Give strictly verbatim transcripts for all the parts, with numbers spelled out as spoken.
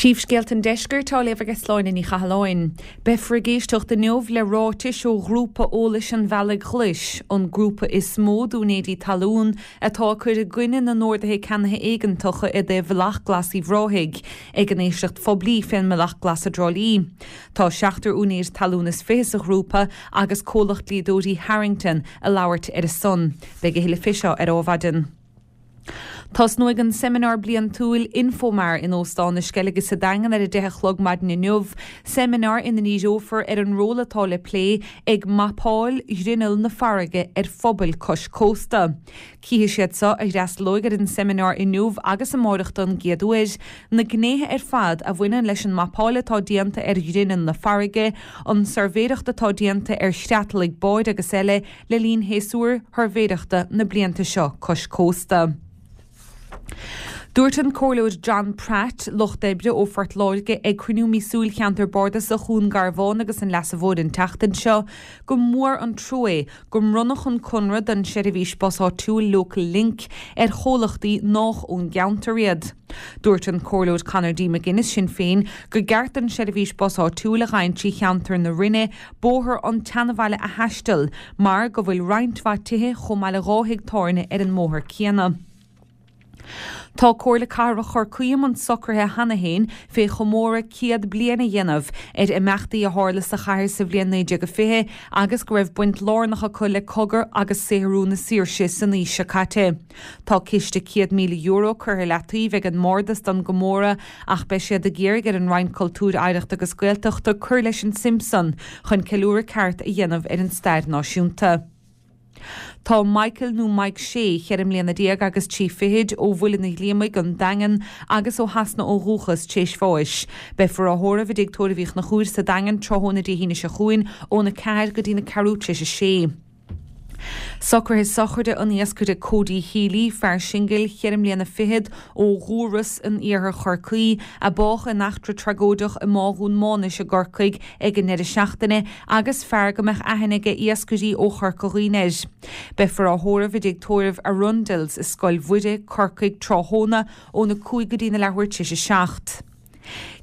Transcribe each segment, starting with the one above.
Príomhscéalta an Deiscirt á léamh ag Sláine Ní Chathalláin. Beifear ag éisteacht inniu le ráitis ó ghrúpa eolais an Bhealaigh Ghlais, an grúpa is mó d'úinéirí talún atá ag cur i gcoinne na n-orduithe ceannaithe éigeantacha i dtaobh Bhealach Glas Uíbh Ráthaigh, ag an éisteacht phoiblí fén mBealach Glas i dTrá Lí. Tá seachtar úinéir talún is fiche sa ghrúpa agus comhlacht dlíodóirí Harrington ag labhairt ar a son. Beidh a thuilleadh fé seo ar Adhmhaidin. Tosnóidh an seimineár bliantúil Infomar in Óstán na Sceilge sa Daingean ar a deich a chlog maidin inniu, seimineár ina ndíreofar ar an ról atá le plé ag mapáil ghrinneall na farraige ar phobail cois cósta. Cífidh siad seo a fhreastalóidh ar an seimineár inniu agus amárach don gcéad uair, na gnéithe ar fad a bhaineann leis an mapáil atá déanta ar ghrinneall na farraige, an tsuirbhéireacht atá déanta ar chreatlaigh báid agus eile le linn shéasúr shuirbhéireachta na blianta seo cois cósta. Dúirt an Comhairleoir John Pratt, Lucht Oibre ó Phort Láirge, ag cruinniú míosúil Cheantar Bardasach Dhún Garbhán agus an Leasa Mhóir an tseachtain seo, gur mór an trua é go mbronnadh an conradh don seirbhís bus áitiúil Local Link ar chomhlachtaí nách ón gceantar iad. Dúirt an Comhairleoir Conor D. McGuinness, Sinn Féin, gur gceart don seirbhís bus áitiúil a ghabhann trí cheantar na Rinne bóthar an tSeanabhaile a thaisteal mar go bhfuil roinnt mhaith tithe chomh maith le dhá thigh tábhairne ar an mbóthar céanna. Tá Comhairle Cathrach Chorcaí i mbun socruithe cheana féin fé chomóradh céad bliain a dhéanamh ar imeachtaí a tharla sa chathair sa bhliain naoi déag a fiche agus go raibh baint lárnach acu le cogadh agus saothrú na saoirse san aois seo caite. Tá ciste céad míle euro curtha i leataobh ag an mBardas don gcomóradh ach beidh siad ag iarraidh ar an Roinn Cultúir, Oidhreachta agus Gaeltachta cur leis an tsuim san chun ceiliúradh ceart a dhéanamh ar an stair náisiúnta. Tá Michael nó Mike Shea, cheithre mbliana déag agus trí fichid, ó Mhuileann an Ghlíomaigh, An Daingean, agus ó Shasana ó dhúchas, tar éis bháis. Beifear á thórramh i dTigh Tórraimh Uí Chonchúir sa Daingean tráthnóna Dé hAoine seo chugainn óna ceathair go dtína ceathrú tar éis a sé. Socruithe sochraide an iascaire Cody Healy, fear singil, cheithre mbliana fichead, ó Dhúras in iarthar Chorcaí, a bádh in eachtra tragóideach i mBá Dhún Mánais i gCorcaigh ag an ndeireadh seachtaine agus fear go mbeadh aithne aige iascairí ó Chorca Dhuibhne air. Beifear á thórramh i dTigh Tórraimh Arundells i Scoil Mhuire, Corcaigh, tráthnóna óna cúig go dtína leathuair tar éis a seacht.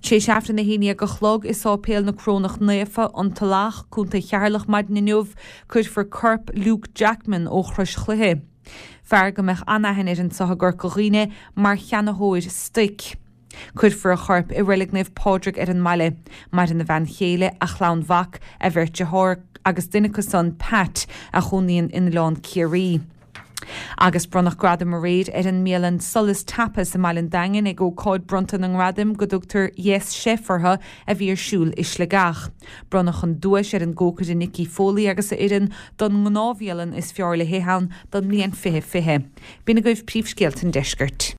Tar éis Aifreann a haon déag a chlog i Sáipéal na Corónach Naofa, An Tulach, Contae Cheatharlach maidin inniu, cuirfear corp Luke Jackman ó Chrois Chluiche. Fear go mbeadh an-aithne air anseo i gCorca Dhuibhne mar cheannaitheoir stoic. Cuirfear a chorp i Reilig Naomh Pádraig ar an mbaile. Maireann a bhean chéile, a chlann mhac, a bheirt dearthár agus duine acu san, Pat, a chónaíonn in Oileán Ciarraí. Agus bronnadh gradam aréir ar an mbialann Solas Tapas i mBaile an Daingin ag ócáid bronnta na ngradaim go dtugtar Yes Chef orthu a bhí ar siúl i Sligeach. Bronnadh an duais ar an gcócaire Nicky Foley agus a fhoireann don ngnáthbhialann is fearr le hithe ann don mbliain fiche fiche. B'in agaibh príomhscéalta an deiscirt.